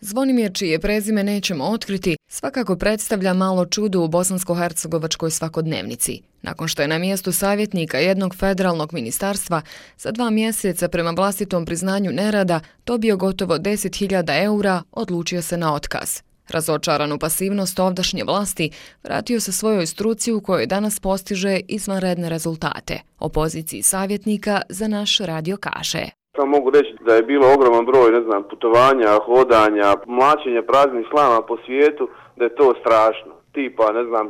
Zvonimir, čije prezime nećemo otkriti, svakako predstavlja malo čudo u bosansko-hercegovačkoj svakodnevnici. Nakon što je na mjestu savjetnika jednog federalnog ministarstva za 2 mjeseca prema vlastitom priznanju nerada dobio gotovo 10.000 eura, odlučio se na otkaz. Razočaran u pasivnost ovdašnje vlasti, vratio se svojoj struci u kojoj danas postiže izvanredne rezultate. O poziciji savjetnika za naš radio kaže. Samo mogu reći da je bilo ogroman broj, putovanja, hodanja, mlačenja praznih slama po svijetu, da je to strašno. Tipa,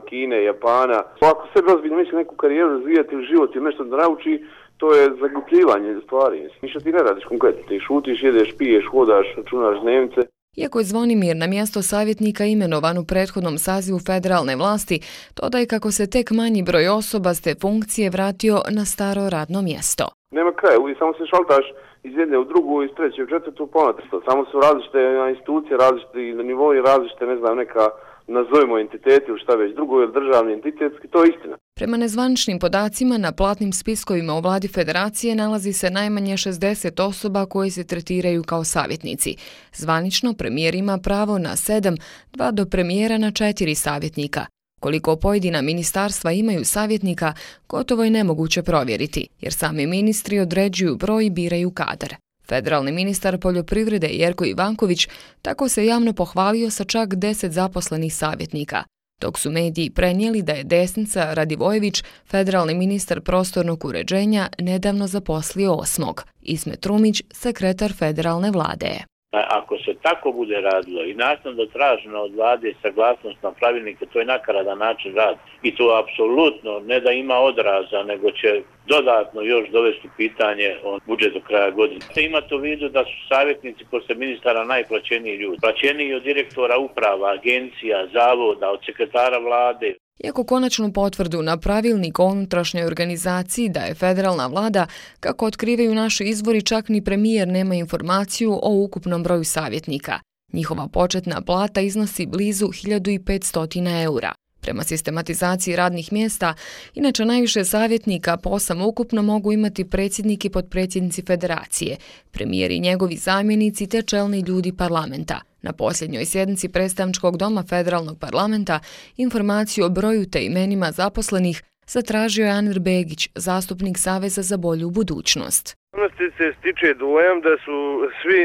Kine, Japana. Ako se ozbiljno misli neku karijeru razvijati ili život ili nešto da nauči, to je zaglupljivanje stvari. Ništa ti ne radiš konkretno, ti šutiš, jedeš, piješ, hodaš, računaš dnevnice. Iako je Zvonimir na mjesto savjetnika imenovan u prethodnom sazivu federalne vlasti, dodaje kako se tek manji broj osoba s te funkcije vratio na staro radno mjesto. Nema kraja, uvijek samo se šaltaš iz jedne u drugu, iz treće u četvrtu, ponatesto. Samo su različite institucije, različite nivoi, različite, neka nazovimo entiteti ili šta već drugo, ili državni entitetski, to je istina. Prema nezvaničnim podacima, na platnim spiskovima u vladi federacije nalazi se najmanje 60 osoba koje se tretiraju kao savjetnici. Zvanično premijer ima pravo na 7, 2 do premijera na 4 savjetnika. Koliko pojedina ministarstva imaju savjetnika, gotovo je nemoguće provjeriti, jer sami ministri određuju broj i biraju kadar. Federalni ministar poljoprivrede Jerko Ivanković tako se javno pohvalio sa čak 10 zaposlenih savjetnika, dok su mediji prenijeli da je desnica Radivojević, federalni ministar prostornog uređenja, nedavno zaposlio 8. Ismet Rumić, sekretar federalne vlade. Ako se tako bude radilo i naknadno traženo od vlade saglasnost na pravilnike, to je nakaradan način rada. I to apsolutno ne da ima odraza, nego će dodatno još dovesti pitanje o budžetu do kraja godine. Imate u vidu da su savjetnici posle ministara najplaćeniji ljudi. Plaćeniji od direktora uprava, agencija, zavoda, od sekretara vlade. Iako konačnu potvrdu na pravilnik o unutrašnjoj organizaciji daje federalna vlada, kako otkrivaju naši izvori, čak ni premijer nema informaciju o ukupnom broju savjetnika. Njihova početna plata iznosi blizu 1500 eura. Prema sistematizaciji radnih mjesta, inače najviše savjetnika po 8 ukupno mogu imati predsjednik i potpredsjednici federacije, premijer i njegovi zamjenici te čelni ljudi parlamenta. Na posljednjoj sjednici predstavničkog doma federalnog parlamenta informaciju o broju te imenima zaposlenih zatražio je Anir Begić, zastupnik Saveza za bolju budućnost. Se stiče dojam da su svi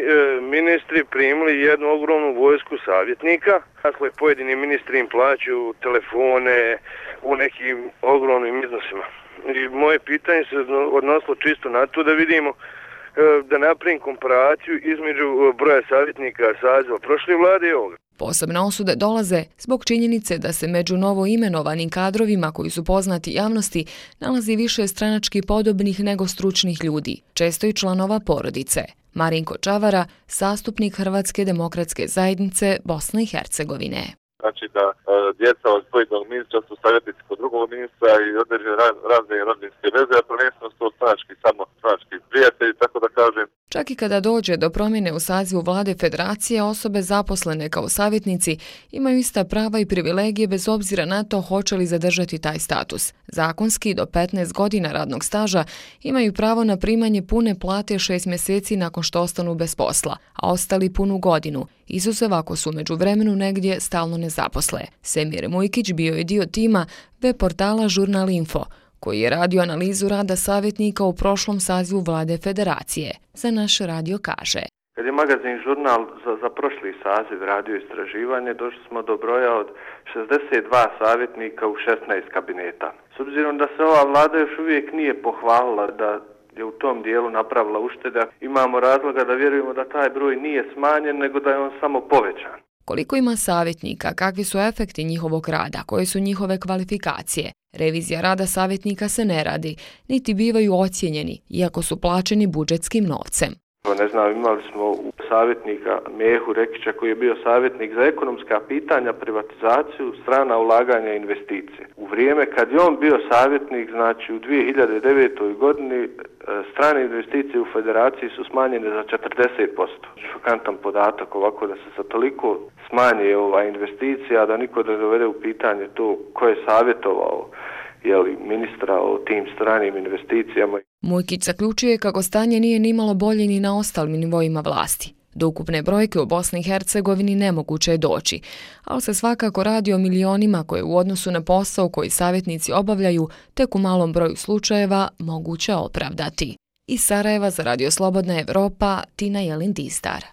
ministri primili jednu ogromnu vojsku savjetnika. Dakle, pojedini ministri im plaćaju telefone u nekim ogromnim iznosima. I moje pitanje se odnosilo čisto na to da vidimo, da napravim komparaciju između broja savjetnika saziva prošle vlade i ovoga. Posebne osude dolaze zbog činjenice da se među novo imenovanim kadrovima koji su poznati javnosti nalazi više stranački podobnih nego stručnih ljudi, često i članova porodice. Marinko Čavara, zastupnik Hrvatske demokratske zajednice Bosne i Hercegovine. Znači da djeca od pojedinog ministra su savjetnici kod drugog ministra i određene razne rodbinske veze, a prvenstveno su to samo stranački prijatelji, tako da kažem. Čak i kada dođe do promjene u sazivu vlade federacije, osobe zaposlene kao savjetnici imaju ista prava i privilegije bez obzira na to hoće li zadržati taj status. Zakonski do 15 godina radnog staža imaju pravo na primanje pune plate 6 mjeseci nakon što ostanu bez posla, a ostali punu godinu, izuzev ako su u međuvremenu negdje stalno nezaposle. Semir Mujkić bio je dio tima web portala Žurnal Info, koji je radio analizu rada savjetnika u prošlom sazivu vlade federacije. Za naš radio kaže. Kad je magazin Žurnal za prošli saziv radio istraživanje, došli smo do broja od 62 savjetnika u 16 kabineta. S obzirom da se ova vlada još uvijek nije pohvalila da je u tom dijelu napravila ušteda, imamo razloga da vjerujemo da taj broj nije smanjen, nego da je on samo povećan. Koliko ima savjetnika, kakvi su efekti njihovog rada, koje su njihove kvalifikacije? Revizija rada savjetnika se ne radi, niti bivaju ocijenjeni, iako su plaćeni budžetskim novcem. Imali smo savjetnika Mehu Rekića koji je bio savjetnik za ekonomska pitanja, privatizaciju, strana ulaganja i investicije. U vrijeme kad je on bio savjetnik, znači u 2009. godini, strane investicije u federaciji su smanjene za 40%. Šokantan podatak ovako da se sa toliko smanje investicija, da niko ne dovede u pitanje to ko je savjetovao ministra o tim stranim investicijama. Mujkić zaključuje kako stanje nije nimalo bolje ni na ostalim nivoima vlasti. Do ukupne brojke u Bosni i Hercegovini nemoguće je doći, ali se svakako radi o milionima koje u odnosu na posao koji savjetnici obavljaju tek u malom broju slučajeva moguće opravdati. Iz Sarajeva za Radio Slobodna Evropa, Tina Jelin-Distar.